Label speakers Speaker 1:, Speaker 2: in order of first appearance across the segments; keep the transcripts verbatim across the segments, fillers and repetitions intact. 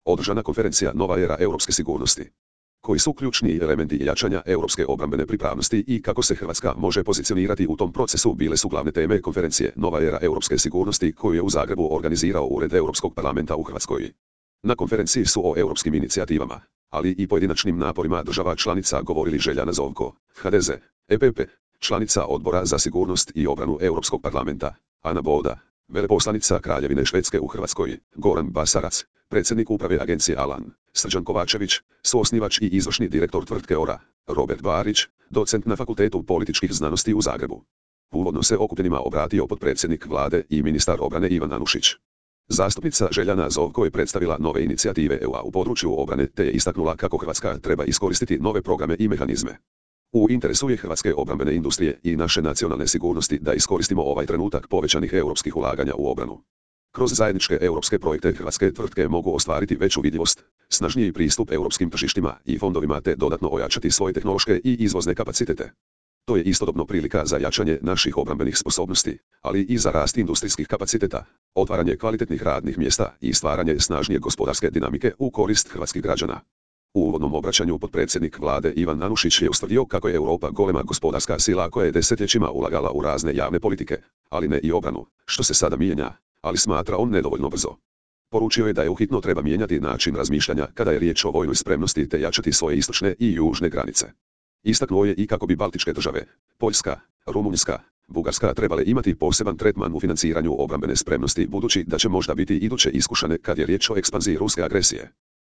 Speaker 1: Održana konferencija Nova era europske sigurnosti. Koji su ključni elementi jačanja europske obrambene pripravnosti i kako se Hrvatska može pozicionirati u tom procesu bile su glavne teme konferencije Nova era europske sigurnosti koju je u Zagrebu organizirao Ured Europskog parlamenta u Hrvatskoj. Na konferenciji su o europskim inicijativama, ali i pojedinačnim naporima država članica govorili Željana Zovko, H D Z, E P P, članica Odbora za sigurnost i obranu Europskog parlamenta, Ana Boda, veleposlanica Kraljevine Švedske u Hrvatskoj, Goran Basarac, predsjednik uprave agencije Alan, Srđan Kovačević, suosnivač i izvršni direktor tvrtke Ora, Robert Barić, docent na Fakultetu političkih znanosti u Zagrebu. Uvodno se okupljenima obratio potpredsjednik vlade i ministar obrane Ivan Anušić. Zastupnica Željana Zovko je predstavila nove inicijative E U-a u području obrane te je istaknula kako Hrvatska treba iskoristiti nove programe i mehanizme. U interesu je hrvatske obrambene industrije i naše nacionalne sigurnosti da iskoristimo ovaj trenutak povećanih europskih ulaganja u obranu. Kroz zajedničke europske projekte hrvatske tvrtke mogu ostvariti veću vidljivost, snažniji pristup europskim tržištima i fondovima te dodatno ojačati svoje tehnološke i izvozne kapacitete. To je istodobno prilika za jačanje naših obrambenih sposobnosti, ali i za rast industrijskih kapaciteta, otvaranje kvalitetnih radnih mjesta i stvaranje snažnije gospodarske dinamike u korist hrvatskih građana. U uvodnom obraćanju potpredsjednik vlade Ivan Anušić je ustvrdio kako je Europa golema gospodarska sila koja je desetljećima ulagala u razne javne politike, ali ne i obranu, što se sada mijenja, ali smatra on nedovoljno brzo. Poručio je da je uhitno treba mijenjati način razmišljanja kada je riječ o vojnoj spremnosti te jačati svoje istočne i južne granice. Istaknuo je i kako bi baltičke države, Poljska, Rumunjska, Bugarska trebale imati poseban tretman u financiranju obrambene spremnosti budući da će možda biti iduće iskušane kad je riječ o ekspanziji ruske agresije.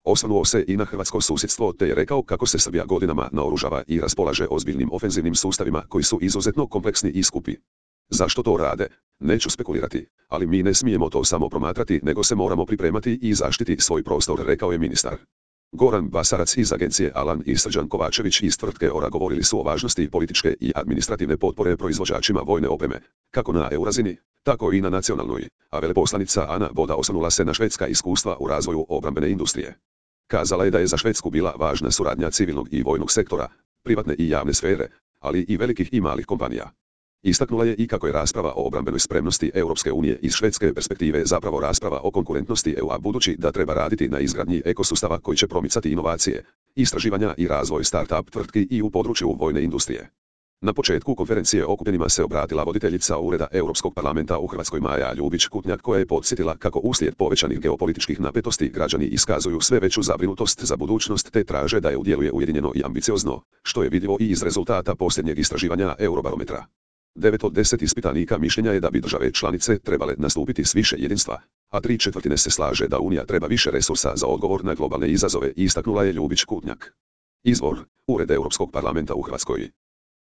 Speaker 1: Osvrnuo se i na hrvatsko susjedstvo te je rekao kako se Srbija godinama naoružava i raspolaže ozbiljnim ofenzivnim sustavima koji su izuzetno kompleksni i skupi. Zašto to rade? Neću spekulirati, ali mi ne smijemo to samo promatrati nego se moramo pripremati i zaštiti svoj prostor, rekao je ministar. Goran Basarac iz agencije Alan i Srđan Kovačević iz tvrtke Ora govorili su o važnosti političke i administrativne potpore proizvođačima vojne opreme, kako na E U razini, tako i na nacionalnoj, a veleposlanica Ana Boda osvrnula se na švedska iskustva u razvoju obrambene industrije. Kazala je da je za Švedsku bila važna suradnja civilnog i vojnog sektora, privatne i javne sfere, ali i velikih i malih kompanija. Istaknula je i kako je rasprava o obrambenoj spremnosti Europske unije iz švedske perspektive zapravo rasprava o konkurentnosti E U-a budući da treba raditi na izgradnji ekosustava koji će promicati inovacije, istraživanja i razvoj start-up tvrtki i u području vojne industrije. Na početku konferencije okupljenima se obratila voditeljica Ureda Europskog parlamenta u Hrvatskoj Maja Ljubić-Kutnjak koja je podsjetila kako uslijed povećanih geopolitičkih napetosti građani iskazuju sve veću zabrinutost za budućnost te traže da E U djeluje ujedinjeno i ambiciozno, što je vidljivo i iz rezultata posljednjeg istraživanja Eurobarometra. devet od deset ispitanika mišljenja je da bi države članice trebale nastupiti s više jedinstva, a tri četvrtine se slaže da Unija treba više resursa za odgovor na globalne izazove, istaknula je Ljubić-Kutnjak. Izvor: Ured Europskog parlamenta u Hrvatskoj.